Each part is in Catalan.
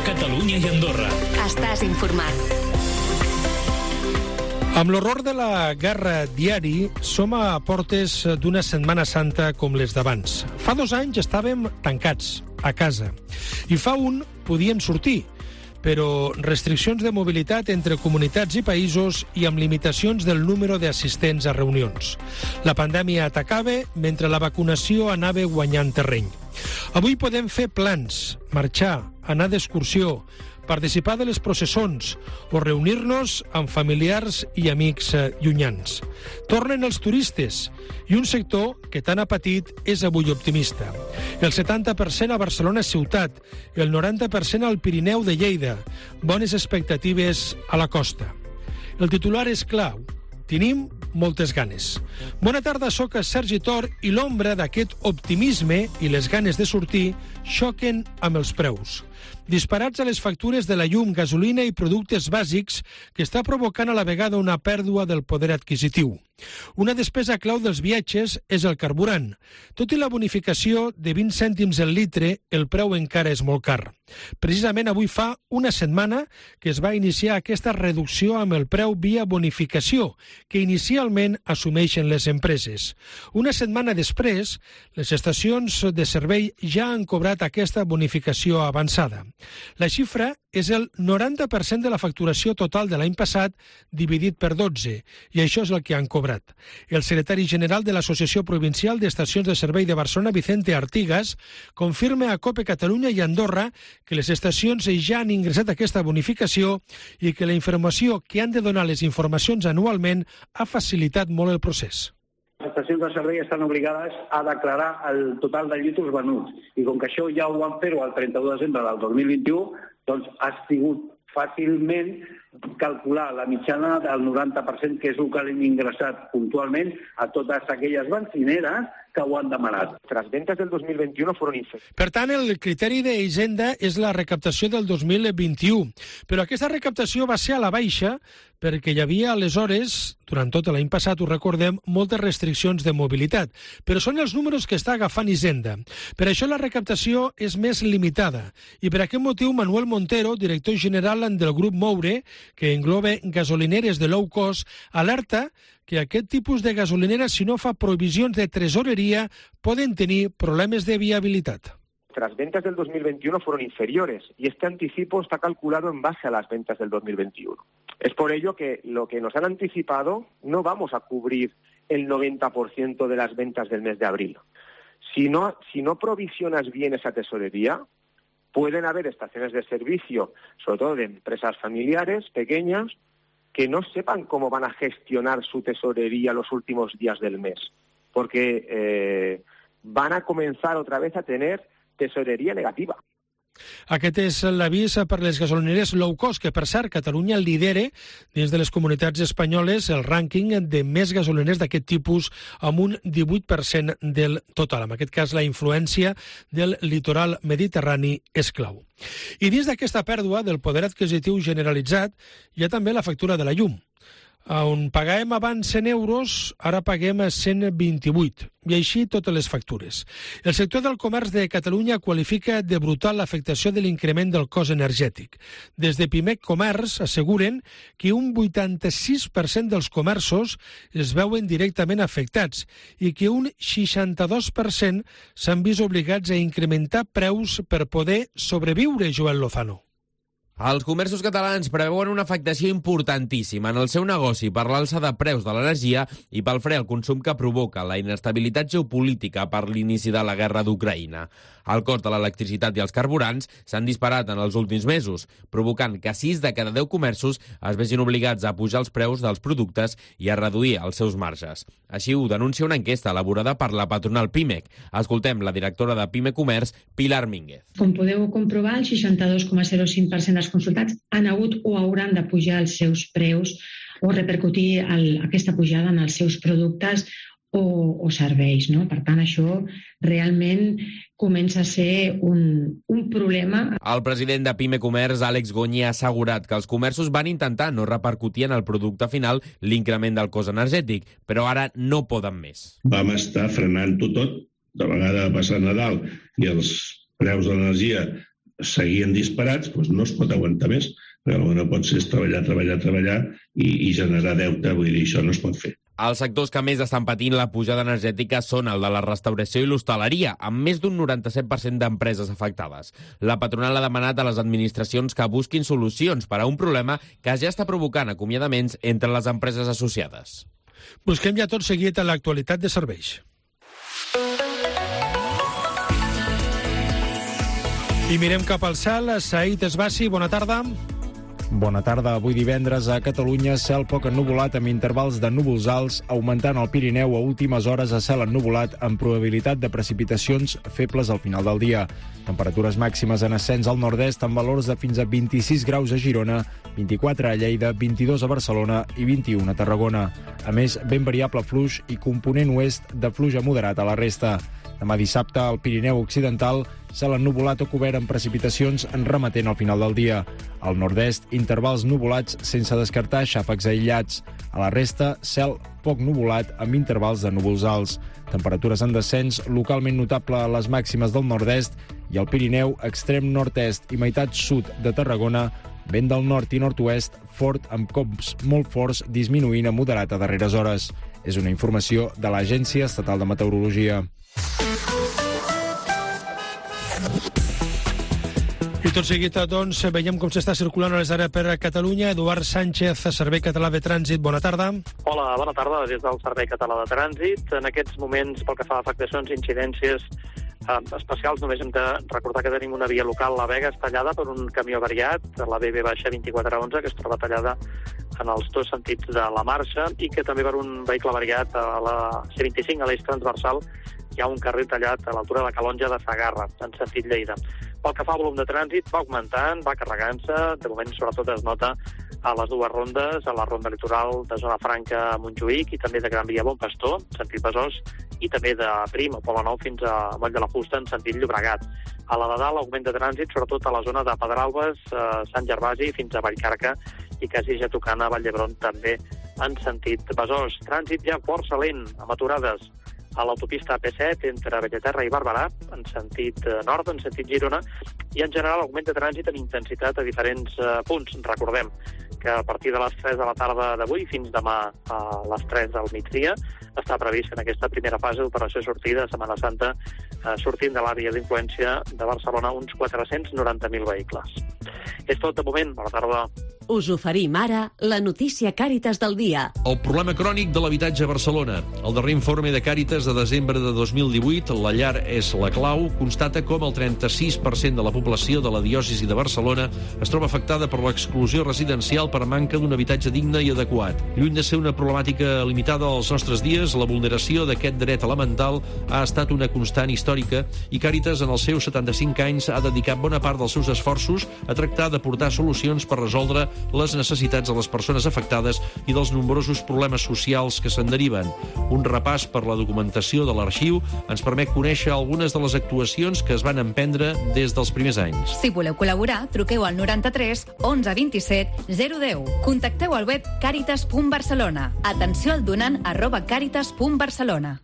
Catalunya i Andorra. Estàs informat. Amb l'horror de la guerra diari, som a portes d'una Setmana Santa com les d'abans. Fa 2 anys estàvem tancats, a casa. I fa un podíem sortir, però restriccions de mobilitat entre comunitats i països i amb limitacions del número d'assistents a reunions. La pandèmia atacava mentre la vacunació anava guanyant terreny. Avui podem fer plans, marxar, anar d'excursió, participar de les processons o reunir-nos amb familiars i amics llunyans. Tornen els turistes i un sector que tant ha patit és avui optimista. El 70% a Barcelona ciutat, el 90% al Pirineu de Lleida. Bones expectatives a la costa. El titular és clau. Tenim moltes ganes. Bona tarda, soc Sergi Tor i l'ombra d'aquest optimisme i les ganes de sortir xoquen amb els preus. Disparats a les factures de la llum, gasolina i productes bàsics que està provocant a la vegada una pèrdua del poder adquisitiu. Una despesa clau dels viatges és el carburant. Tot i la bonificació de 20 cèntims el litre, el preu encara és molt car. Precisament avui fa una setmana que es va iniciar aquesta reducció amb el preu via bonificació, que inicialment assumeixen les empreses. Una setmana després, les estacions de servei ja han cobrat aquesta bonificació avançada. La xifra és el 90% de la facturació total de l'any passat dividit per 12, i això és el que han cobrat. El secretari general de l'Associació Provincial d'Estacions de Servei de Barcelona, Vicente Artigas, confirma a COPE Catalunya i Andorra que les estacions ja han ingressat aquesta bonificació i que la informació que han de donar les informacions anualment ha facilitat molt el procés. Les estacions de servei estan obligades a declarar el total de litres venuts i com que això ja ho van fer-ho el 31 de desembre del 2021, doncs ha sigut fàcilment calcular la mitjana del 90%, que és el que hem ingressat puntualment a totes aquelles benzineres que ho han demanat. Las ventas del 2021 fueron inferiores. Per tant, el criteri d'Hisenda és la recaptació del 2021. Però aquesta recaptació va ser a la baixa perquè hi havia aleshores, durant tot l'any passat, ho recordem, moltes restriccions de mobilitat. Però són els números que està agafant Hisenda. Per això la recaptació és més limitada. I per aquest motiu, Manuel Montero, director general del grup Moure, que engloba gasolineres de low cost, alerta que aquest tipus de gasolineres, si no fa provisions de tresoreria, poden tenir problemes de viabilitat. Las ventas del 2021 fueron inferiores y este anticipo está calculado en base a las ventas del 2021. Es por ello que lo que nos han anticipado no vamos a cubrir el 90% de las ventas del mes de abril. Si no provisionas bien esa tesorería, pueden haber estaciones de servicio, sobre todo de empresas familiares, pequeñas, que no sepan cómo van a gestionar su tesorería los últimos días del mes, porque van a comenzar otra vez a tener tesorería negativa. Aquest és l'avís per les gasolineres low cost, que per cert Catalunya lidera dins de les comunitats espanyoles el rànquing de més gasolineres d'aquest tipus amb un 18% del total. En aquest cas la influència del litoral mediterrani és clau. I dins d'aquesta pèrdua del poder adquisitiu generalitzat hi ha també la factura de la llum. On pagàvem abans 100 euros, ara paguem 128, i així totes les factures. El sector del comerç de Catalunya qualifica de brutal l'afectació de l'increment del cost energètic. Des de Pimec Comerç asseguren que un 86% dels comerços es veuen directament afectats i que un 62% s'han vist obligats a incrementar preus per poder sobreviure, Joel Lozano. Els comerços catalans preveuen una afectació importantíssima en el seu negoci per l'alça de preus de l'energia i pel fre al consum que provoca la inestabilitat geopolítica per l'inici de la guerra d'Ucraïna. El cost de l'electricitat i els carburants s'han disparat en els últims mesos, provocant que 6 de cada 10 comerços es vegin obligats a pujar els preus dels productes i a reduir els seus marges. Així ho denuncia una enquesta elaborada per la patronal Pimec. Escoltem la directora de Pime Comerç, Pilar Mínguez. Com podeu comprovar, el 62,05% dels consultats han hagut o hauran de pujar els seus preus o repercutir aquesta pujada en els seus productes o serveis, no? Per tant, això realment comença a ser un problema. El president de Pime Comerç, Àlex Goñi, ha assegurat que els comerços van intentar no repercutir en el producte final l'increment del cost energètic, però ara no poden més. Vam estar frenant-ho tot, de vegada passar Nadal i els preus de l'energia seguien disparats, doncs no es pot aguantar més. El que no pot ser és treballar i generar deute, vull dir, això no es pot fer. Els sectors que més estan patint la pujada energètica són el de la restauració i l'hostaleria, amb més d'un 97% d'empreses afectades. La patronal ha demanat a les administracions que busquin solucions per a un problema que ja està provocant acomiadaments entre les empreses associades. Busquem ja tot seguit a l'actualitat de serveis. I mirem cap al cel. Saïd Esbassi, bona tarda. Bona tarda. Avui divendres a Catalunya, cel poc ennuvolat amb intervals de núvols alts, augmentant al Pirineu a últimes hores a cel ennuvolat amb probabilitat de precipitacions febles al final del dia. Temperatures màximes en ascens al nord-est amb valors de fins a 26 graus a Girona, 24 a Lleida, 22 a Barcelona i 21 a Tarragona. A més, ben variable fluix i component oest de fluix moderat a la resta. Demà dissabte, al Pirineu Occidental, cel ennuvolat o cobert amb precipitacions en remetent al final del dia. Al nord-est, intervals nuvolats sense descartar xàfecs aïllats. A la resta, cel poc nuvolat amb intervals de núvols alts. Temperatures en descens localment notable a les màximes del nord-est i al Pirineu, extrem nord-est i meitat sud de Tarragona, vent del nord i nord-oest fort amb cops molt forts disminuint a moderat a darreres hores. És una informació de l'Agència Estatal de Meteorologia. I tot seguit, doncs, veiem com s'està circulant a les àrees per Catalunya. Eduard Sánchez, Servei Català de Trànsit, bona tarda. Hola, bona tarda, des del Servei Català de Trànsit. En aquests moments, pel que fa a afectacions i incidències especials, només hem de recordar que tenim una via local, la Vega, tallada per un camió variat, la BB-2411, que es troba tallada en els dos sentits de la marxa, i que també per un vehicle variat a la C25, a l'eix transversal, hi ha un carril tallat a l'altura de la Calonja de Segarra, en sentit Lleida. Pel que fa al volum de trànsit, va augmentant, va carregant-se, de moment sobretot es nota a les dues rondes, a la ronda litoral de Zona Franca a Montjuïc i també de Gran Via Bon Pastor, en sentit Besòs, i també de Prim o Poble Nou fins a Moll de la Fusta, en sentit Llobregat. A la de dalt, augment de trànsit, sobretot a la zona de Pedralbes, Sant Gervasi fins a Vallcarca i quasi ja tocant a Vall d'Hebron també en sentit Besòs. Trànsit ja força lent, amb aturades a l'autopista AP7 entre Bellaterra i Barberà, en sentit nord, en sentit Girona, i en general augment de trànsit amb intensitat a diferents punts. Recordem que a partir de les 3 de la tarda d'avui fins demà a les 3 del migdia està previst en aquesta primera fase d'operació sortida de Setmana Santa sortint de l'àrea d'influència de Barcelona uns 490.000 vehicles. És tot de moment. Bona tarda. Us oferim ara la notícia Càritas del dia. El problema crònic de l'habitatge a Barcelona. El darrer informe de Càritas de desembre de 2018, La llar és la clau, constata com el 36% de la població de la diòcesi de Barcelona es troba afectada per l'exclusió residencial per manca d'un habitatge digne i adequat. Lluny de ser una problemàtica limitada als nostres dies, la vulneració d'aquest dret elemental ha estat una constant històrica i Càritas, en els seus 75 anys, ha dedicat bona part dels seus esforços a tractar d'aportar solucions per resoldre les necessitats de les persones afectades i dels nombrosos problemes socials que se'n deriven. Un repàs per la documentació de l'arxiu ens permet conèixer algunes de les actuacions que es van emprendre des dels primers anys. Si voleu col·laborar, truqueu al 93 11 27 010. Contacteu al web caritas.barcelona. Atenció al donant @caritas.barcelona.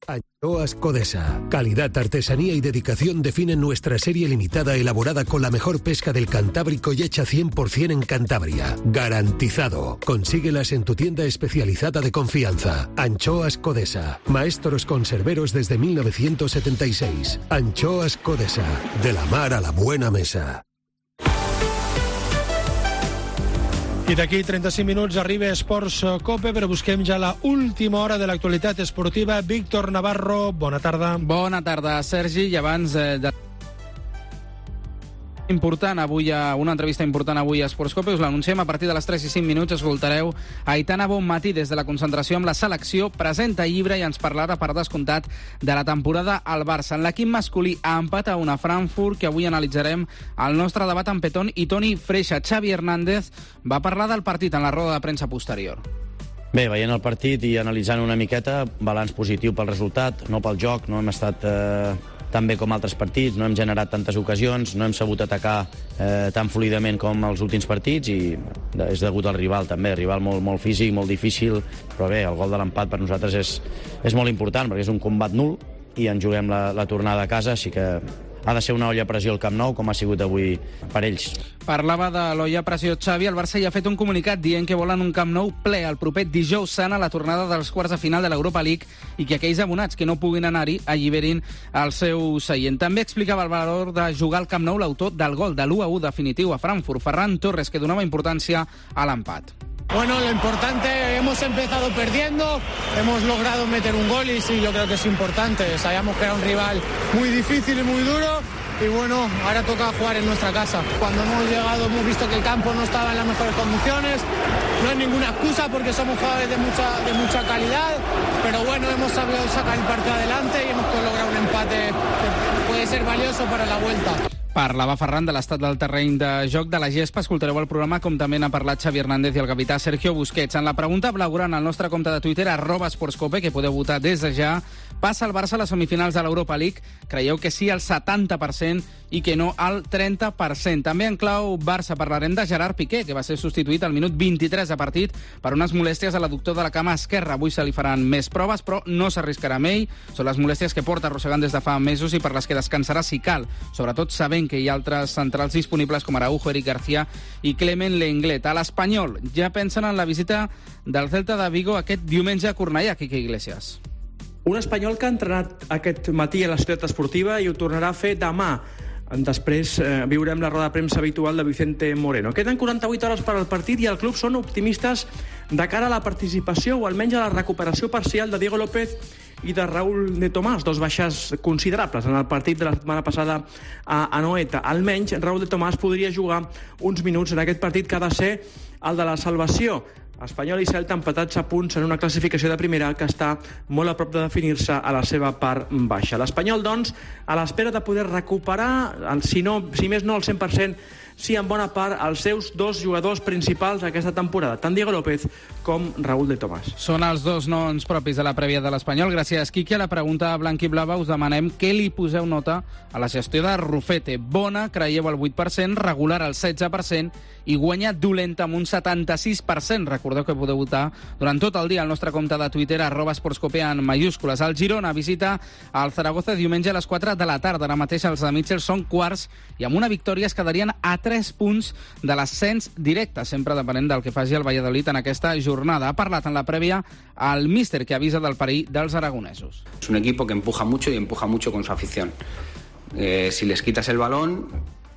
Anchoas Codesa. Calidad, artesanía y dedicación definen nuestra serie limitada elaborada con la mejor pesca del Cantábrico y hecha 100% en Cantabria. Garantizado. Consíguelas en tu tienda especializada de confianza. Anchoas Codesa. Maestros conserveros desde 1976. Anchoas Codesa. De la mar a la buena mesa. I d'aquí 35 minuts arriba Esports Cope, però busquem ja la última hora de l'actualitat esportiva. Víctor Navarro, bona tarda. Bona tarda, Sergi. I abans de... una entrevista important avui a Esports Cope, us l'anunciem a partir de les 3 i 5 minuts. Escoltareu Aitana Bonmatí des de la concentració amb la selecció, presenta llibre i ens parlarà per descomptat de la temporada al Barça. En l'equip masculí a empat a una Frankfurt, que avui analitzarem el nostre debat amb Petón i Toni Freixa. Xavi Hernández va parlar del partit en la roda de premsa posterior. Bé, veient el partit i analitzant una miqueta, balanç positiu pel resultat, no pel joc, no hem estat tan bé com altres partits, no hem generat tantes ocasions, no hem sabut atacar tan fluidament com els últims partits i és degut al rival també, rival molt físic, molt difícil, però bé, el gol de l'empat per nosaltres és molt important perquè és un combat nul i ens juguem la tornada a casa, així que ha de ser una olla a pressió al Camp Nou, com ha sigut avui per ells. Parlava de l'olla a pressió Xavi. El Barça ja ha fet un comunicat dient que volen un Camp Nou ple el proper dijous sant a la tornada dels quarts de final de l'Europa League i que aquells abonats que no puguin anar-hi alliberin el seu seient. També explicava el valor de jugar al Camp Nou l'autor del gol de l'1-1 definitiu a Frankfurt, Ferran Torres, que donava importància a l'empat. Bueno, lo importante, hemos empezado perdiendo, hemos logrado meter un gol y sí, yo creo que es importante. Sabíamos que era un rival muy difícil y muy duro y bueno, ahora toca jugar en nuestra casa. Cuando hemos llegado hemos visto que el campo no estaba en las mejores condiciones, no es ninguna excusa porque somos jugadores de mucha calidad, pero bueno, hemos sabido sacar el partido adelante y hemos logrado un empate que puede ser valioso para la vuelta. Parlava Ferran de l'estat del terreny de joc de la gespa. Escoltareu el programa com també n'ha parlat Xavi Hernández i el capità Sergio Busquets. En la pregunta blaugrana al nostre compte de Twitter, @sportscope, que podeu votar des de ja, passa el Barça a les semifinals de l'Europa League? Creieu que sí al 70% i que no al 30%. També en clau Barça parlarem de Gerard Piqué, que va ser substituït al minut 23 de partit per unes molèsties a l'adductor de la cama esquerra. Avui se li faran més proves, però no s'arriscarà amb ell. Són les molèsties que porta arrossegant des de fa mesos i per les que descansarà si cal, sobretot sabent que hi ha altres centrals disponibles com Araujo, Eric García i Clement Lenglet. A l'Espanyol ja pensen en la visita del Celta de Vigo aquest diumenge a Cornellà, Quique Iglesias. Un espanyol que ha entrenat aquest matí a la ciutat esportiva i ho tornarà a fer demà. Després viurem la roda de premsa habitual de Vicente Moreno. Queden 48 hores per al partit i el club són optimistes de cara a la participació o almenys a la recuperació parcial de Diego López i de Raúl de Tomàs, dos baixes considerables en el partit de la setmana passada a Anoeta. Almenys Raúl de Tomàs podria jugar uns minuts en aquest partit que ha de ser el de la salvació. Espanyol i Celta empatats a punts en una classificació de primera que està molt a prop de definir-se a la seva part baixa. L'Espanyol, doncs, a l'espera de poder recuperar, si més no al 100%, sí, en bona part, els seus dos jugadors principals aquesta temporada, tant Diego López com Raúl de Tomàs. Són els dos noms propis de la prèvia de l'Espanyol. Gràcies, Quique. A la pregunta blanc-i-blava us demanem què li poseu nota a la gestió de Rufete. Bona, creieu, al 8%, regular al 16% i guanya dolenta amb un 76%. Recordeu que podeu votar durant tot el dia al nostre compte de Twitter, @sportscope en majúscules. El Girona visita el Zaragoza diumenge a les 4 de la tarda. Ara mateix els de Mitchell són quarts i amb una victòria es quedarien a 3 punts de l'ascens directe, sempre depenent del que faci el Valladolid en aquesta jornada. Ha parlat en la prèvia el míster, que avisa del perill dels aragonesos. Es un equipo que empuja mucho y empuja mucho con su afición. Si les quitas el balón,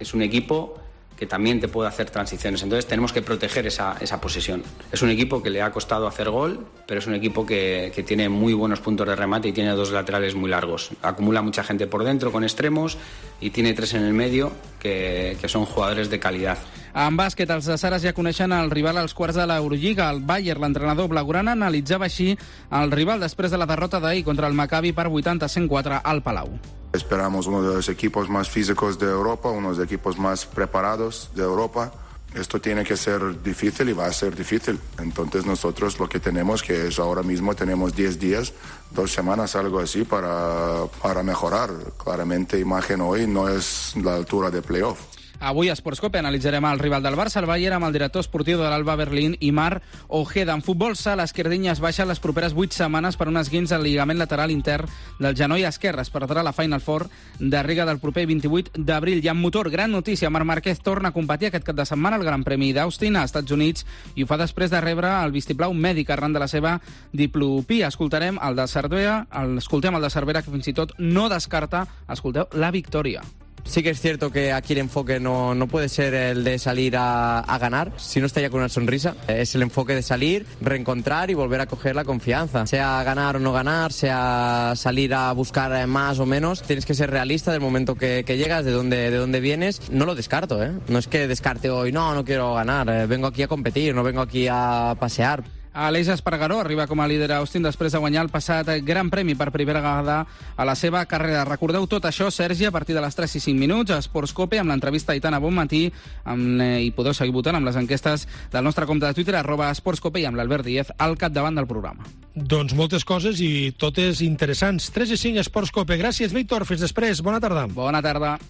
es un equipo que también te puede hacer transiciones. Entonces tenemos que proteger esa posesión. Es un equipo que le ha costado hacer gol, pero es un equipo que tiene muy buenos puntos de remate y tiene dos laterales muy largos. Acumula mucha gente por dentro con extremos y tiene 3 en el medio que son jugadores de calidad. En bàsquet, els de Saras ja coneixen el rival als quarts de l'Eurolliga. El Bayern, l'entrenador blaugrana, analitzava així el rival després de la derrota d'ahir contra el Maccabi per 80-104 al Palau. Esperamos uno de los equipos más físicos de Europa, uno de los equipos más preparados de Europa. Esto tiene que ser difícil y va a ser difícil. Entonces nosotros lo que tenemos que es ahora mismo tenemos 10 días, 2 semanas, algo así para mejorar. Claramente imagen hoy no es la altura de playoff. Avui a Sportscope analitzarem el rival del Barça, el Bayern, amb el director esportiu de l'Alba Berlín, Imar Ojeda. En futbol sala, Esquerdinya es baixa les properes 8 setmanes per un esguinç al lligament lateral intern del genoll esquerre. Es perdrà la Final Four de Riga del proper 28 d'abril. I en motor, gran notícia, Marc Márquez torna a competir aquest cap de setmana al Gran Premi d'Austin a Estats Units i ho fa després de rebre el vistiplau mèdic arran de la seva diplopia. Escoltem el de Cervera, que fins i tot no descarta, escolteu, la victòria. Sí que es cierto que aquí el enfoque no puede ser el de salir a ganar, si no está ya con una sonrisa. Es el enfoque de salir, reencontrar y volver a coger la confianza. Sea ganar o no ganar, sea salir a buscar más o menos, tienes que ser realista del momento que llegas, de dónde vienes. No lo descarto, ¿eh? No es que descarte hoy, no quiero ganar, vengo aquí a competir, no vengo aquí a pasear. Aleix Espargaró arriba com a líder a Austin després de guanyar el passat Gran Premi per primera vegada a la seva carrera. Recordeu tot això, Sergi, a partir de les 3 i 5 minuts a Sportscope, amb l'entrevista a Aitana Bonmatí, i podeu seguir votant amb les enquestes del nostre compte de Twitter, @Sportscope, i amb l'Albert Díez al capdavant del programa. Doncs moltes coses i totes interessants. 3 i 5 Sportscope. Gràcies, Víctor. Fins després. Bona tarda. Bona tarda.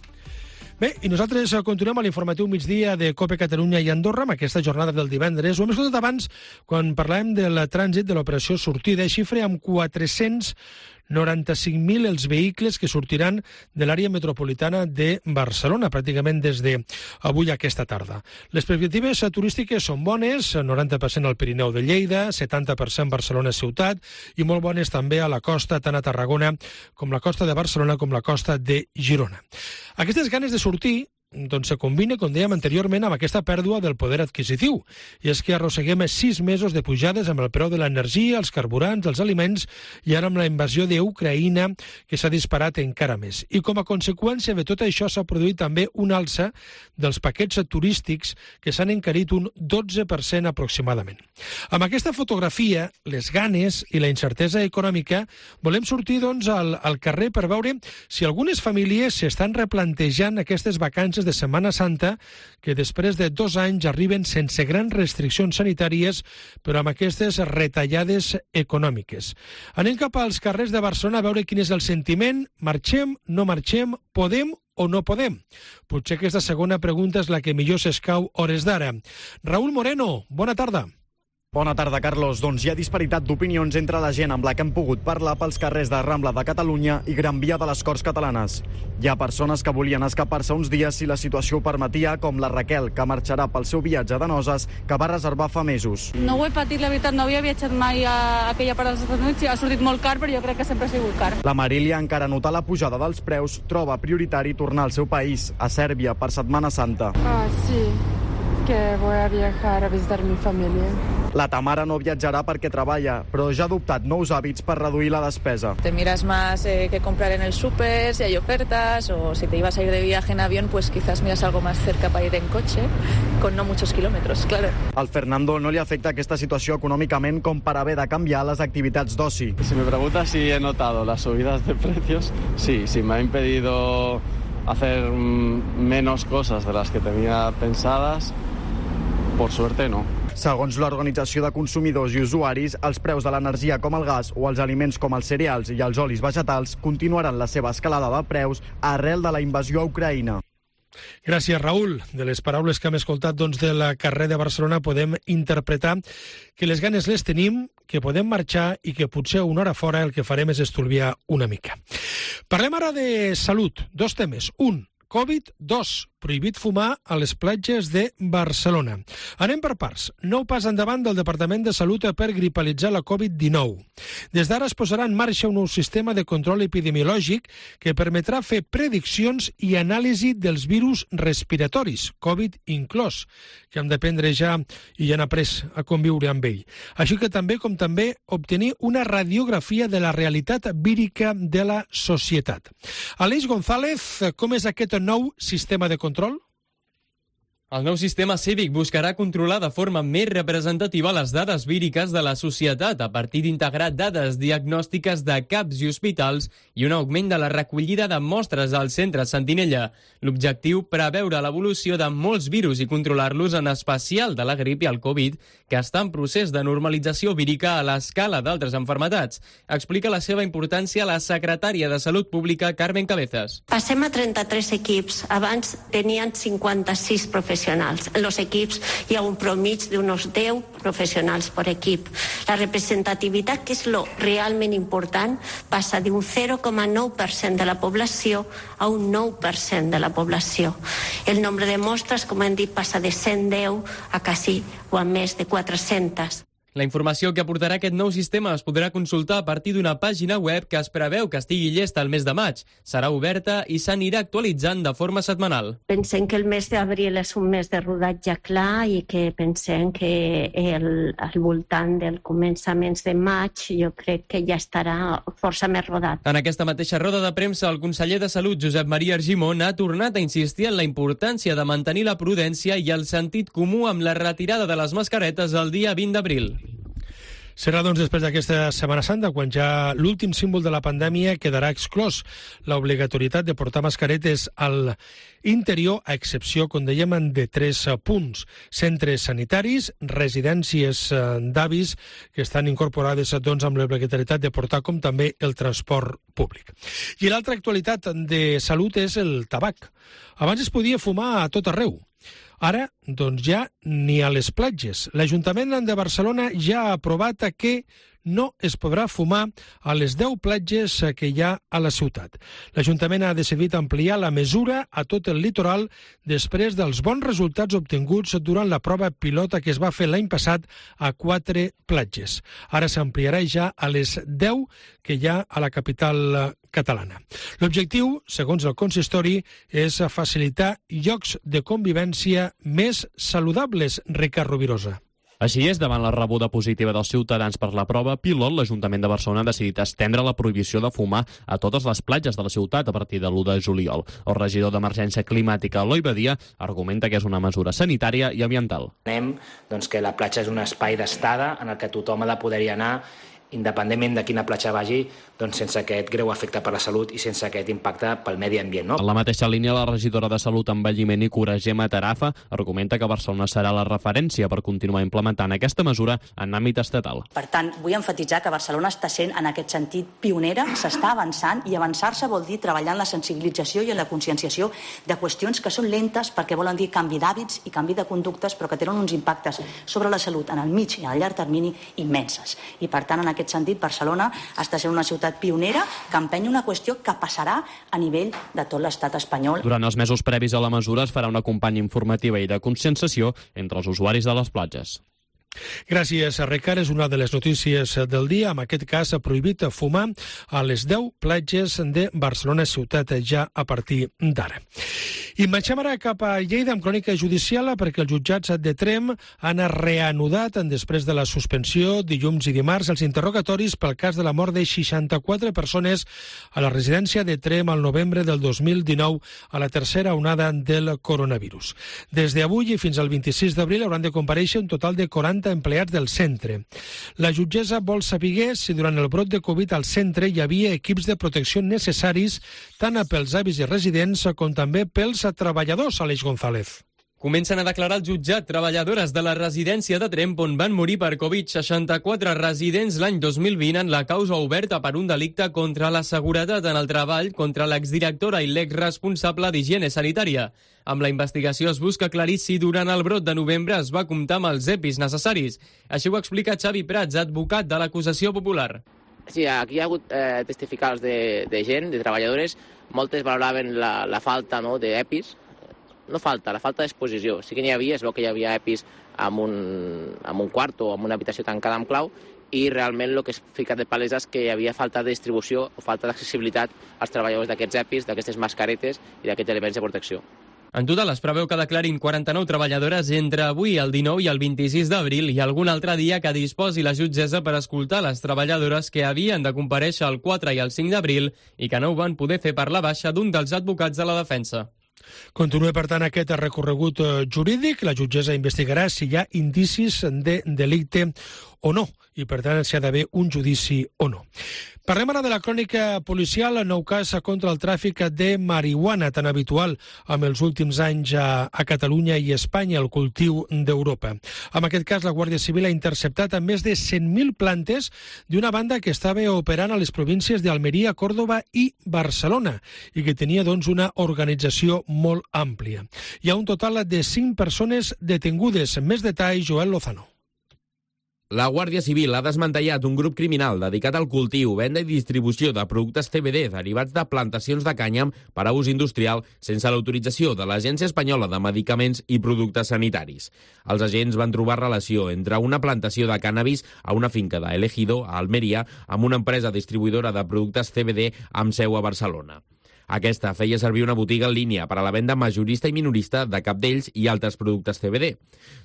Bé, i nosaltres continuem a l'informatiu migdia de COPE Catalunya i Andorra amb aquesta jornada del divendres. Ho hem escoltat abans quan parlàvem del trànsit de l'operació sortida, xifra amb 400 95.000 els vehicles que sortiran de l'àrea metropolitana de Barcelona, pràcticament des d'avui a aquesta tarda. Les perspectives turístiques són bones, 90% al Pirineu de Lleida, 70% Barcelona ciutat i molt bones també a la costa, tant a Tarragona com la costa de Barcelona com la costa de Girona. Aquestes ganes de sortir se combina, com dèiem anteriorment, amb aquesta pèrdua del poder adquisitiu. I és que arrosseguem 6 mesos de pujades amb el preu de l'energia, els carburants, els aliments i ara amb la invasió d'Ucraïna que s'ha disparat encara més. I com a conseqüència de tot això s'ha produït també una alça dels paquets turístics que s'han encarit un 12% aproximadament. Amb aquesta fotografia, les ganes i la incertesa econòmica, volem sortir al carrer per veure si algunes famílies s'estan replantejant aquestes vacances de Setmana Santa que després de 2 anys arriben sense grans restriccions sanitàries però amb aquestes retallades econòmiques. Anem cap als carrers de Barcelona a veure quin és el sentiment. Marxem, no marxem, podem o no podem? Potser aquesta segona pregunta és la que millor s'escau hores d'ara. Raúl Moreno, bona tarda. Bona tarda, Carlos. Doncs hi ha disparitat d'opinions entre la gent amb la que hem pogut parlar pels carrers de Rambla de Catalunya i Gran Via de les Corts Catalanes. Hi ha persones que volien escapar-se uns dies si la situació ho permetia, com la Raquel, que marxarà pel seu viatge de noces, que va reservar fa mesos. No ho he patit, la veritat, no havia viatjat mai a aquella part dels Estats Units i ha sortit molt car, però jo crec que sempre ha sigut car. La Marília, encara notar la pujada dels preus, troba prioritari tornar al seu país, a Sèrbia, per Setmana Santa. Sí, que voy a viajar a visitar mi familia. La Tamara no viatjarà perquè treballa, però ja ha adoptat nous hàbits per reduir la despesa. Te miras más qué comprar en el súper, si hay ofertas, o si te ibas a ir de viaje en avión, pues quizás miras algo más cerca para ir en coche, con no muchos kilómetros, claro. Al Fernando no li afecta aquesta situació econòmicament com per haver de canviar les activitats d'oci. Si me preguntas si he notado las subidas de precios, sí, me ha impedido hacer menos cosas de las que tenía pensadas, por suerte no. Segons l'Organització de Consumidors i Usuaris, els preus de l'energia com el gas o els aliments com els cereals i els olis vegetals continuaran la seva escalada de preus arrel de la invasió a Ucraïna. Gràcies, Raül. De les paraules que hem escoltat del carrer de Barcelona podem interpretar que les ganes les tenim, que podem marxar i que potser una hora fora el que farem és estolviar una mica. Parlem ara de salut. 2 temes. Un, Covid. 2, prohibit fumar a les platges de Barcelona. Anem per parts. Nou pas endavant del Departament de Salut per gripalitzar la Covid-19. Des d'ara es posarà en marxa un nou sistema de control epidemiològic que permetrà fer prediccions i anàlisi dels virus respiratoris, Covid inclòs, que hem d'aprendre ja i ja han après a conviure amb ell. Així que també obtenir una radiografia de la realitat vírica de la societat. Aleix González, com és aquest nou sistema de control? El nou sistema cívic buscarà controlar de forma més representativa les dades víriques de la societat a partir d'integrar dades diagnòstiques de CAPs i hospitals i un augment de la recollida de mostres al centre Sentinella. L'objectiu, preveure l'evolució de molts virus i controlar-los, en especial de la grip i el Covid, que està en procés de normalització vírica a l'escala d'altres enfermetats. Explica la seva importància la secretària de Salut Pública, Carmen Cabezas. Passem a 33 equips. Abans tenien 56 professionals. En los equips hi ha un promig d'unos 10 professionals per equip. La representativitat, que és lo realment important, passa d'un 0,9% de la població a un 9% de la població. El nombre de mostres, com hem dit, passa de 110 a quasi o a més de 400. La informació que aportarà aquest nou sistema es podrà consultar a partir d'una pàgina web que es preveu que estigui llesta el mes de maig. Serà oberta i s'anirà actualitzant de forma setmanal. Pensem que el mes d'abril és un mes de rodatge clar i que pensem que al voltant del començaments de maig jo crec que ja estarà força més rodat. En aquesta mateixa roda de premsa, el conseller de Salut, Josep Maria Argimon, ha tornat a insistir en la importància de mantenir la prudència i el sentit comú amb la retirada de les mascaretes el dia 20 d'abril. Serà, doncs, després d'aquesta Setmana Santa, quan ja l'últim símbol de la pandèmia quedarà exclòs l'obligatorietat de portar mascaretes al interior, a excepció, com dèiem, de 3 punts. Centres sanitaris, residències d'avis que estan incorporades, doncs, amb l'obligatorietat de portar, com també el transport públic. I l'altra actualitat de salut és el tabac. Abans es podia fumar a tot arreu. Ara, doncs ja ni a les platges. L'Ajuntament de Barcelona ja ha aprovat que no es podrà fumar a les 10 platges que hi ha a la ciutat. L'Ajuntament ha decidit ampliar la mesura a tot el litoral després dels bons resultats obtinguts durant la prova pilota que es va fer l'any passat a 4 platges. Ara s'ampliarà ja a les 10 que hi ha a la capital catalana. L'objectiu, segons el consistori, és facilitar llocs de convivència més saludables, Ricard Rovirosa. Així és, davant la rebuda positiva dels ciutadans per la prova pilot, l'Ajuntament de Barcelona ha decidit estendre la prohibició de fumar a totes les platges de la ciutat a partir de l'1 de juliol. El regidor d'Emergència Climàtica, Eloi Badia, argumenta que és una mesura sanitària i ambiental. Entenem que la platja és un espai d'estada en el que tothom ha de poder-hi anar independentment de quina platja vagi, sense aquest greu efecte per la salut i sense aquest impacte pel medi ambient. No? En la mateixa línia, la regidora de Salut, Envelliment i Cura, Gemma Tarafa, argumenta que Barcelona serà la referència per continuar implementant aquesta mesura en àmbit estatal. Per tant, vull emfatitzar que Barcelona està sent, en aquest sentit, pionera, s'està avançant, i avançar-se vol dir treballar en la sensibilització i en la conscienciació de qüestions que són lentes perquè volen dir canvi d'hàbits i canvi de conductes, però que tenen uns impactes sobre la salut en el mig i en el llarg termini immenses. I, per tant, en aquest sentit, Barcelona està sent una ciutat pionera que empenya una qüestió que passarà a nivell de tot l'estat espanyol. Durant els mesos previs a la mesura es farà una campanya informativa i de conscienciació entre els usuaris de les platges. Gràcies, Ricard. És una de les notícies del dia. En aquest cas, ha prohibit fumar a les 10 platges de Barcelona ciutat ja a partir d'ara. I marxem ara cap a Lleida amb crònica judicial perquè els jutjats de Tremp han reanudat després de la suspensió dilluns i dimarts els interrogatoris pel cas de la mort de 64 persones a la residència de Tremp al novembre del 2019 a la tercera onada del coronavirus. Des d'avui i fins al 26 d'abril hauran de comparèixer un total de 40 empleats del centre. La jutgessa vol saber si durant el brot de Covid al centre hi havia equips de protecció necessaris tant pels avis i residents com també pels treballadors, Aleix González. Comencen a declarar al jutjat treballadores de la residència de Tremp on van morir per Covid 64 residents l'any 2020 en la causa oberta per un delicte contra la seguretat en el treball contra l'exdirectora i l'exresponsable d'higiene sanitària. Amb la investigació es busca aclarir si durant el brot de novembre es va comptar amb els EPIs necessaris. Així ho explica Xavi Prats, advocat de l'acusació popular. Sí, aquí hi ha hagut testificals de gent, de treballadores. Moltes valoraven la falta d'EPIs. No falta, la falta d'exposició. Sí que n'hi havia, es veu que hi havia EPIs en un quart o en una habitació tancada amb clau i realment el que es fica de palesa és que hi havia falta de distribució o falta d'accessibilitat als treballadors d'aquests EPIs, d'aquestes mascaretes i d'aquests elements de protecció. En total es preveu que declarin 49 treballadores entre avui, el 19 i el 26 d'abril i algun altre dia que disposi la jutgessa per escoltar les treballadores que havien de comparèixer el 4 i el 5 d'abril i que no ho van poder fer per la baixa d'un dels advocats de la defensa. Continua, per tant, aquest recorregut jurídic. La jutgessa investigarà si hi ha indicis de delicte o no, i per tant si ha d'haver un judici o no. Parlem ara de la crònica policial, el nou cas contra el tràfic de marihuana, tan habitual amb els últims anys a Catalunya i Espanya, el cultiu d'Europa. En aquest cas, la Guàrdia Civil ha interceptat a més de 100.000 plantes d'una banda que estava operant a les províncies d'Almeria, Còrdova i Barcelona i que tenia, una organització molt àmplia. Hi ha un total de 5 persones detingudes. Més detalls, Joel Lozano. La Guàrdia Civil ha desmantellat un grup criminal dedicat al cultiu, venda i distribució de productes CBD derivats de plantacions de cànyam per a ús industrial sense l'autorització de l'Agència Espanyola de Medicaments i Productes Sanitaris. Els agents van trobar relació entre una plantació de cànnabis a una finca d'Elegido, a Almeria, amb una empresa distribuïdora de productes CBD amb seu a Barcelona. Aquesta feia servir una botiga en línia per a la venda majorista i minorista de cap d'ells i altres productes CBD.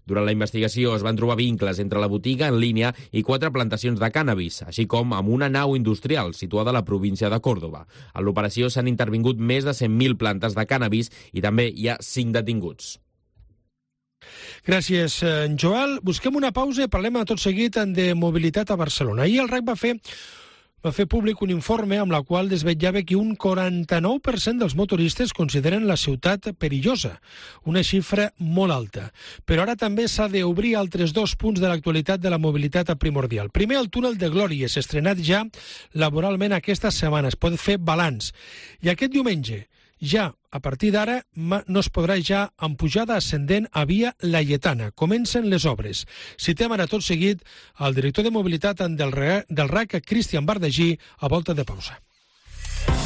Durant la investigació es van trobar vincles entre la botiga en línia i 4 plantacions de cànnabis, així com amb una nau industrial situada a la província de Còrdova. En l'operació s'han intervingut més de 100.000 plantes de cànnabis i també hi ha 5 detinguts. Gràcies, Joel. Busquem una pausa i parlem tot seguit de mobilitat a Barcelona. Ahir el RAC va fer públic un informe amb la qual desvetllava que un 49% dels motoristes consideren la ciutat perillosa, una xifra molt alta. Però ara també s'ha d'obrir altres 2 punts de l'actualitat de la mobilitat primordial. Primer, el túnel de Glòries, estrenat ja laboralment aquesta setmana. Es pot fer balanç. I aquest diumenge Ja a partir d'ara no es podrà ja amb pujada ascendent a Via Laietana. Comencen les obres. Citem ara tot seguit el director de mobilitat del RAC, Cristian Bardagí, a volta de pausa.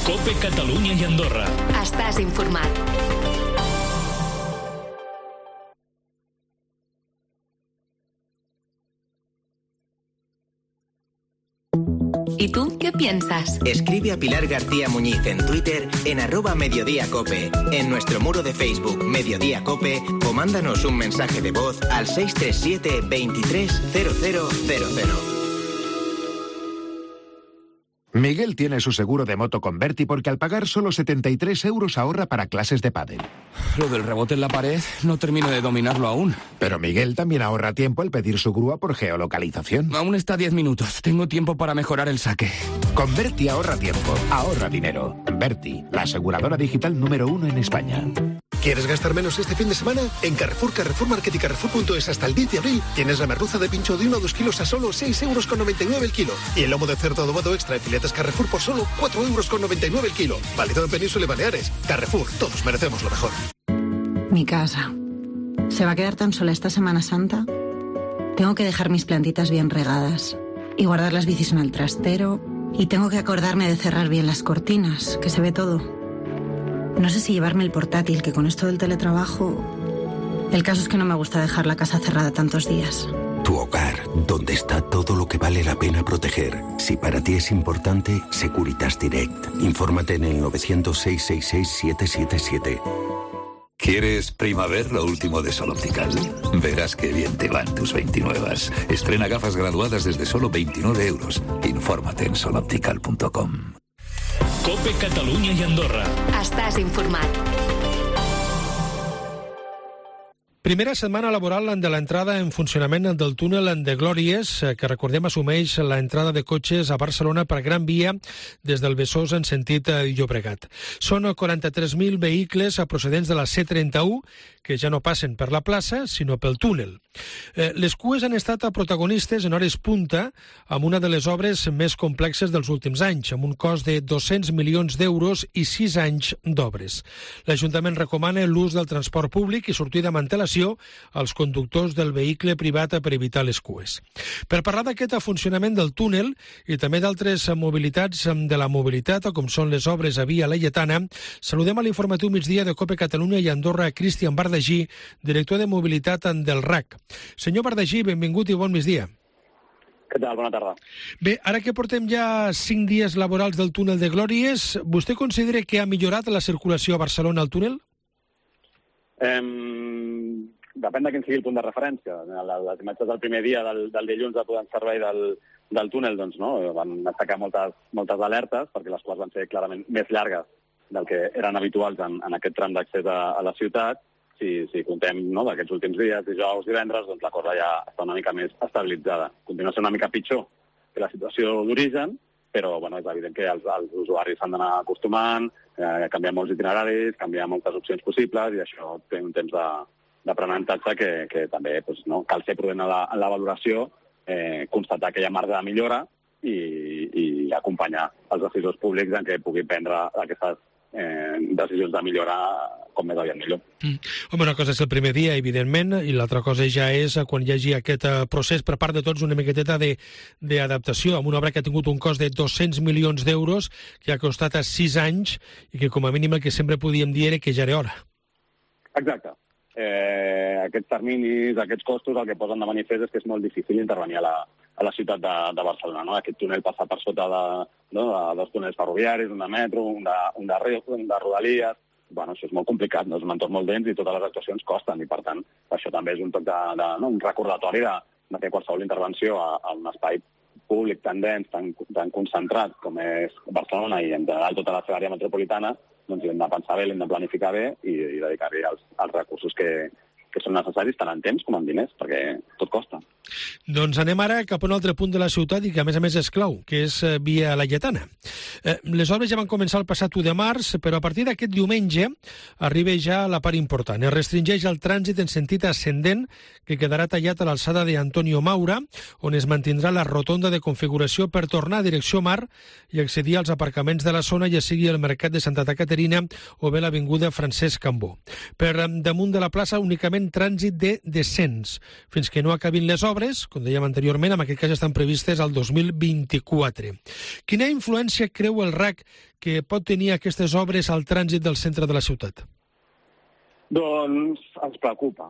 COPE Catalunya i Andorra. Estàs informat. ¿Y tú qué piensas? Escribe a Pilar García Muñiz en Twitter en @mediodíacope, en nuestro muro de Facebook Mediodía Cope o mándanos un mensaje de voz al 637 23 0000. Miguel tiene su seguro de moto con Berti porque al pagar solo 73 € ahorra para clases de pádel. Lo del rebote en la pared no termino de dominarlo aún. Pero Miguel también ahorra tiempo al pedir su grúa por geolocalización. Aún está 10 minutos. Tengo tiempo para mejorar el saque. Con Berti ahorra tiempo, ahorra dinero. Berti, la aseguradora digital número 1 en España. ¿Quieres gastar menos este fin de semana? En Carrefour, Carrefour Market y Carrefour.es hasta el 10 de abril tienes la merluza de pincho de 1 a 2 kilos a solo 6,99 € el kilo. Y el lomo de cerdo adobado extra de filetes Carrefour por solo 4,99 € el kilo. Válido en Península y Baleares. Carrefour, todos merecemos lo mejor. Mi casa. ¿Se va a quedar tan sola esta Semana Santa? Tengo que dejar mis plantitas bien regadas y guardar las bicis en el trastero. Y tengo que acordarme de cerrar bien las cortinas, que se ve todo. No sé si llevarme el portátil, que con esto del teletrabajo... El caso es que no me gusta dejar la casa cerrada tantos días. Tu hogar, donde está todo lo que vale la pena proteger. Si para ti es importante, Securitas Direct. Infórmate en el 900-666-777. ¿Quieres primavera lo último de Sol Optical? Verás qué bien te van tus 29. Estrena gafas graduadas desde solo 29 €. Infórmate en soloptical.com. COPE Catalunya i Andorra. Estàs informat. Primera setmana laboral de l'entrada en funcionament del túnel de Glòries, que recordem assumeix l'entrada de cotxes a Barcelona per Gran Via des del Besòs en sentit Llobregat. Són 43.000 vehicles procedents de la C31 que ja no passen per la plaça, sinó pel túnel. Les cues han estat protagonistes en hores punta amb una de les obres més complexes dels últims anys, amb un cost de 200 milions d'euros i 6 anys d'obres. L'Ajuntament recomana l'ús del transport públic i sortida amb antelació als conductors del vehicle privat per evitar les cues. Per parlar d'aquest funcionament del túnel i també d'altres mobilitats de la mobilitat, com són les obres a Via Laietana, saludem a l'informatiu migdia de COPE Catalunya i Andorra, Cristian Bardagí, director de mobilitat del RAC. Senyor Bardagí, benvingut i bon migdia. Què tal? Bona tarda. Bé, ara que portem ja 5 dies laborals del túnel de Glòries, vostè considera que ha millorat la circulació a Barcelona al túnel? Depèn de quin sigui el punt de referència. Les imatges del primer dia del dilluns de posar en servei del túnel doncs, no, van atacar moltes alertes perquè les quals van ser clarament més llargues del que eren habituals en aquest tram d'accés a la ciutat. Si comptem d'aquests últims dies, dijous, divendres, doncs la cosa ja està una mica més estabilitzada. Continua sent una mica pitjor que la situació d'origen, però és evident que els usuaris s'han d'anar acostumant, canviar molts itineraris, canviar moltes opcions possibles, i això té un temps d'aprenentatge que també cal ser prudent en la valoració, constatar que hi ha marge de millora i acompanyar els decisors públics en què puguin prendre aquestes decisions de millora com més aviat millor. Home, una cosa és el primer dia, evidentment, i l'altra cosa ja és quan hi hagi aquest procés per part de tots una miqueteta d'adaptació amb una obra que ha tingut un cost de 200 milions d'euros, que ha costat 6 anys i que com a mínim el que sempre podíem dir era que ja era hora. Exacte. Aquests terminis, aquests costos, el que posen de manifest és que és molt difícil intervenir a la ciutat de Barcelona. No? Aquest túnel passa per sota de dos túnels ferroviaris, un de metro, un de rodalies. Això és molt complicat, és un entorn molt dens i totes les actuacions costen, i per tant això també és un toc un recordatori de que qualsevol intervenció a un espai públic tan dens, tan concentrat com és Barcelona i en general tota la seva àrea metropolitana, doncs hem de pensar bé, l'hem de planificar bé i dedicar-hi els recursos que són necessaris tant en temps com en diners, perquè tot costa. Doncs anem ara cap a un altre punt de la ciutat i que a més és clau, que és Via Laietana. Les obres ja van començar el passat 1 de març, però a partir d'aquest diumenge arriba ja la part important. Es restringeix el trànsit en sentit ascendent, que quedarà tallat a l'alçada d'Antonio Maura, on es mantindrà la rotonda de configuració per tornar a direcció mar i accedir als aparcaments de la zona, ja sigui el Mercat de Santa Caterina o bé l'avinguda Francesc Cambó. Per damunt de la plaça únicament trànsit de descens, fins que no acabin les obres, com dèiem anteriorment, en aquest cas estan previstes al 2024. Quina influència creu el RAC que pot tenir aquestes obres al trànsit del centre de la ciutat? Doncs ens preocupa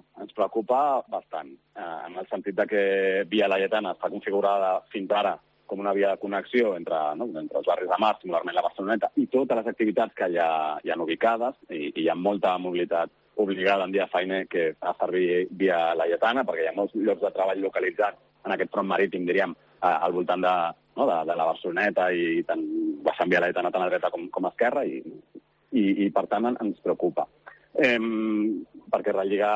bastant, en el sentit de que Via Laietana està configurada fins ara com una via de connexió entre els barris de mar, singularment la Barceloneta, i totes les activitats que hi ha ubicades, i hi ha molta mobilitat obligada en dia feiner que fa servir Via Laietana, perquè hi ha molts llocs de treball localitzats en aquest front marítim, diríem, al voltant de la Barceloneta i tant baixant Via Laietana tant a dreta com a esquerra, i per tant ens preocupa. Perquè relliga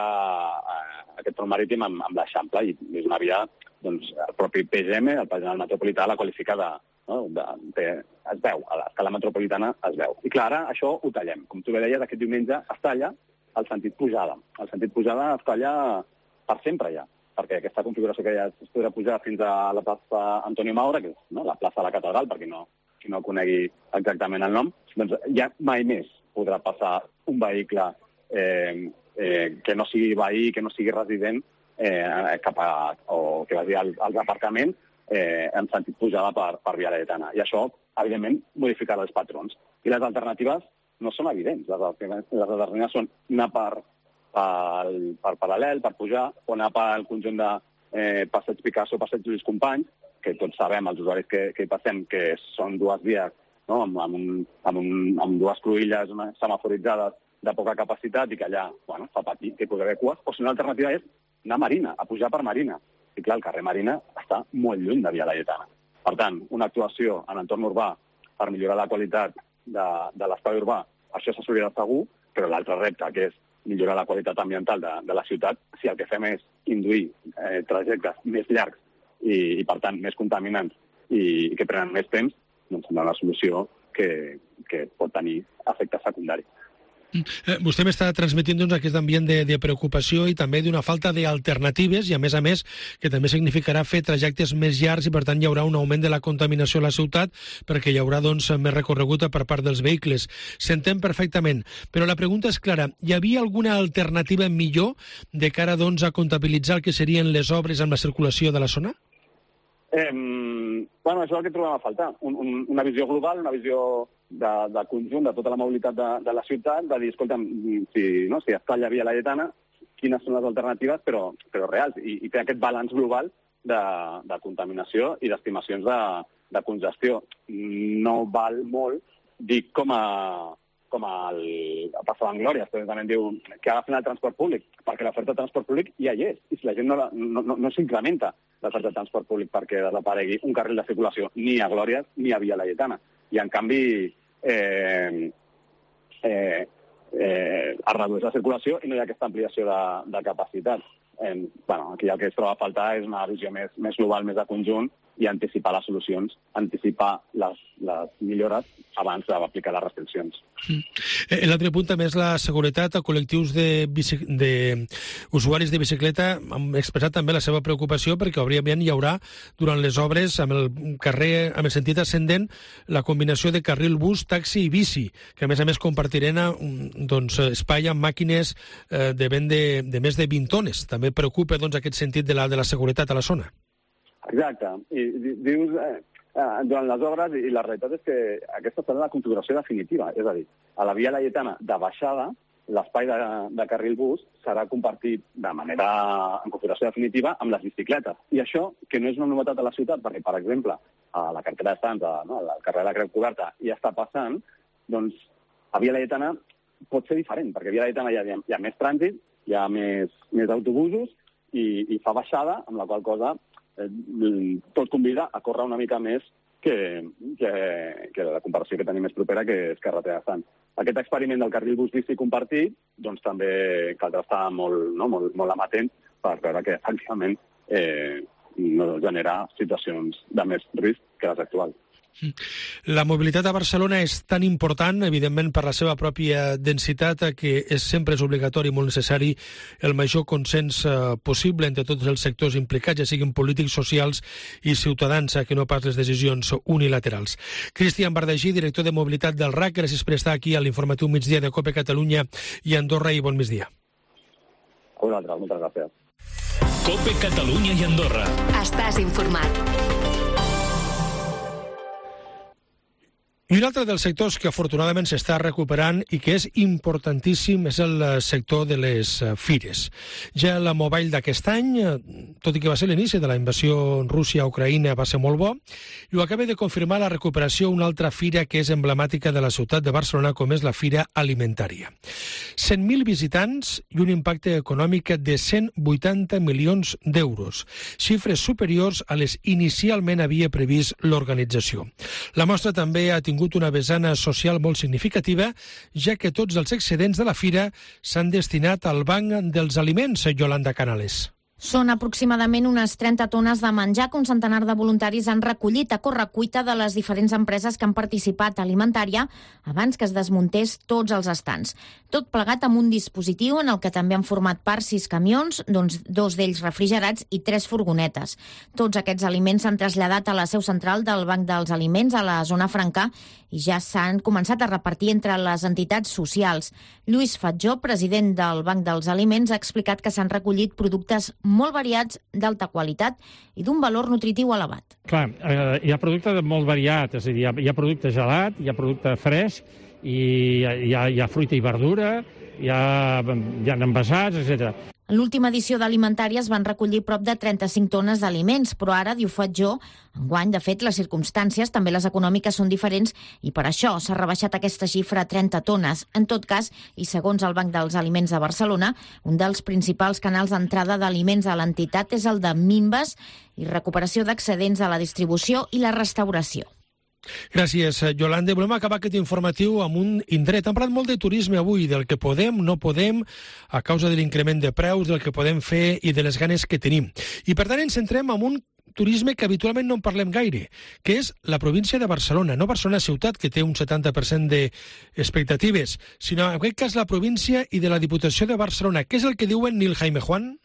aquest front marítim amb l'Eixample, i és una via, doncs, el propi PGM, el Pla General Metropolità, la qualifica es veu, a l'escala metropolitana es veu. I clar, ara això ho tallem. Com tu bé deies, aquest diumenge es talla el sentit pujada. El sentit pujada es talla per sempre ja, perquè aquesta configuració que ja es podrà pujar fins a la plaça Antonio Maura, que és la plaça de la Catedral, perquè qui no conegui exactament el nom, doncs ja mai més podrà passar un vehicle que no sigui veí, que no sigui resident, o que vagi als aparcaments en sentit pujada per Via Laietana. I això, evidentment, modificarà els patrons. I les alternatives no són evidents. Les alternatives són anar per paral·lel, per pujar, o anar pel conjunt de Passeig Picasso, Passeig Lluís Companys, que tots sabem, els usuaris que hi passem, que són dues vies amb dues cruïlles semaforitzades de poca capacitat i que allà fa patir, que hi pot haver cues. O si una alternativa és anar a Marina, a pujar per Marina. I clar, el carrer Marina està molt lluny de Via Laietana. Per tant, una actuació en entorn urbà per millorar la qualitat de l'espai urbà, això s'assolirà segur, però l'altre repte, que és millorar la qualitat ambiental de la ciutat, si el que fem és induir trajectes més llargs i per tant, més contaminants i que prenen més temps, doncs sembla una solució que pot tenir efectes secundaris. Vostè m'està transmetint aquest ambient de preocupació i també d'una falta d'alternatives i, a més, que també significarà fer trajectes més llargs i, per tant, hi haurà un augment de la contaminació a la ciutat perquè hi haurà més recorregut per part dels vehicles. S'entén perfectament, però la pregunta és clara. Hi havia alguna alternativa millor de cara a comptabilitzar el que serien les obres amb la circulació de la zona? Això és el que trobem a faltar. Una visió global, una visió de conjunt de tota la mobilitat de la ciutat, de dir, escolta'm, si es talla Via Laietana, quines són les alternatives, però reals, i fer aquest balanç global de contaminació i d'estimacions de congestió. No val molt dir com passa en Glòria, però també diu que agafin el transport públic, perquè l'oferta de transport públic ja hi és, i si la gent no s'incrementa l'oferta de transport públic perquè desaparegui un carril de circulació ni a Glòria ni a Via Laietana. I, en canvi, es redueix la circulació i no hi ha aquesta ampliació de capacitat. Aquí el que es troba a faltar és una visió més global, més de conjunt, i anticipar les solucions, anticipar les millores abans d'aplicar les restriccions. L'altre punt també és la seguretat. A col·lectius d'usuaris de bicicleta han expressat també la seva preocupació perquè òbviament hi haurà durant les obres amb el carrer, amb el sentit ascendent, la combinació de carril bus, taxi i bici, que a més compartiran espai amb màquines de vent de més de 20 tones. També preocupa aquest sentit de la seguretat a la zona. Exacte. I dius, durant les obres, i la realitat és que aquesta serà la configuració definitiva. És a dir, a la Via Laietana de baixada, l'espai de carril bus serà compartit en configuració definitiva amb les bicicletes. I això, que no és una novetat a la ciutat, perquè, per exemple, a la carretera de Sants, al carrer de la Creu Coberta, ja està passant, doncs a Via Laietana pot ser diferent, perquè a Via Laietana hi ha més trànsit, hi ha més autobusos i fa baixada, amb la qual cosa tot convida a córrer una mica més que la comparació que tenim més propera, que és carretera de Sants. Aquest experiment del carril bus bici compartit, doncs també caldrà estar molt amatent per veure que efectivament no genera situacions de més risc que les actuals. La mobilitat a Barcelona és tan important, evidentment, per la seva pròpia densitat, que sempre és obligatori i molt necessari el major consens possible entre tots els sectors implicats, ja siguin polítics, socials i ciutadans, que no pas les decisions unilaterals. Cristian Bardagí, director de mobilitat del RAC, gràcies per estar aquí a l'informatiu migdia de COPE Catalunya i Andorra, i bon migdia. A vosaltres, moltes gràcies. COPE Catalunya i Andorra. Estàs informat. I un altre dels sectors que afortunadament s'està recuperant i que és importantíssim és el sector de les fires. Ja la Mobile d'aquest any, tot i que va ser l'inici de la invasió Rússia a Ucraïna, va ser molt bo, i ho acaba de confirmar la recuperació una altra fira que és emblemàtica de la ciutat de Barcelona, com és la Fira Alimentària. 100.000 visitants i un impacte econòmic de 180 milions d'euros, xifres superiors a les inicialment havia previst l'organització. La mostra també ha tingut una vessana social molt significativa, ja que tots els excedents de la fira s'han destinat al Banc dels Aliments, Yolanda Canales. Són aproximadament unes 30 tones de menjar que un centenar de voluntaris han recollit a correcuita de les diferents empreses que han participat a Alimentària abans que es desmuntés tots els estants. Tot plegat amb un dispositiu en el que també han format part 6 camions, doncs 2 d'ells refrigerats i 3 furgonetes. Tots aquests aliments s'han traslladat a la seu central del Banc dels Aliments a la zona franca i ja s'han començat a repartir entre les entitats socials. Lluís Fatjó, president del Banc dels Aliments, ha explicat que s'han recollit productes molt variats, d'alta qualitat i d'un valor nutritiu elevat. Clar, hi ha producte molt variat, és a dir, hi ha producte gelat, hi ha producte fresc, i hi ha fruita i verdura, hi ha envasats, etc. En l'última edició d'Alimentària es van recollir prop de 35 tones d'aliments, però ara, diu Fatjó, enguany, de fet, les circumstàncies, també les econòmiques, són diferents i per això s'ha rebaixat aquesta xifra a 30 tones. En tot cas, i segons el Banc dels Aliments de Barcelona, un dels principals canals d'entrada d'aliments a l'entitat és el de minves i recuperació d'excedents a la distribució i la restauració. Gràcies, Yolanda. Volem acabar aquest informatiu amb un indret. Hem parlat molt de turisme avui, del que podem, no podem, a causa de l'increment de preus, del que podem fer i de les ganes que tenim. I per tant ens centrem en un turisme que habitualment no en parlem gaire, que és la província de Barcelona. No Barcelona ciutat, que té un 70% d'expectatives, sinó en aquest cas la província i de la Diputació de Barcelona. Què és el que diuen Nil Jaime Juan?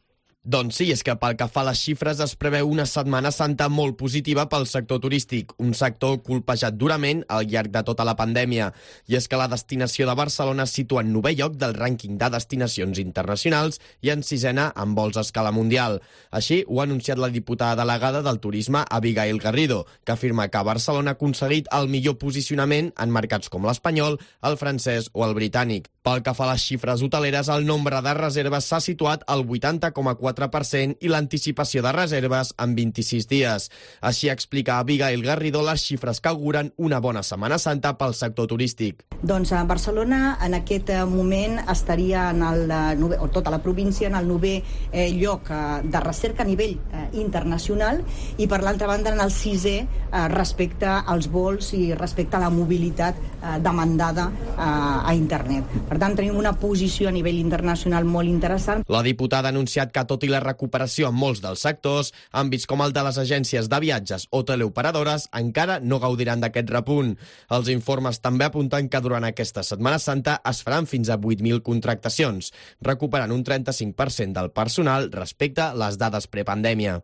Doncs sí, és que pel que fa a les xifres es preveu una Setmana Santa molt positiva pel sector turístic, un sector colpejat durament al llarg de tota la pandèmia. I és que la destinació de Barcelona es situa en 9è lloc del rànquing de destinacions internacionals i en 6è en vols a escala mundial. Així ho ha anunciat la diputada delegada del Turisme, Abigail Garrido, que afirma que Barcelona ha aconseguit el millor posicionament en mercats com l'espanyol, el francès o el britànic. Pel que fa a les xifres hoteleres, el nombre de reserves s'ha situat al 80,4% i l'anticipació de reserves en 26 dies. Així explica Abigail Garrido les xifres que auguren una bona Setmana Santa pel sector turístic. Doncs a Barcelona en aquest moment estaria o tota la província en el 9è lloc de recerca a nivell internacional i per l'altra banda en el 6è respecte als vols i respecte a la mobilitat demandada a internet. Per tant, tenim una posició a nivell internacional molt interessant. La diputada ha anunciat que, tot i la recuperació en molts dels sectors, àmbits com el de les agències de viatges o teleoperadores encara no gaudiran d'aquest repunt. Els informes també apunten que durant aquesta Setmana Santa es faran fins a 8.000 contractacions, recuperant un 35% del personal respecte a les dades prepandèmia.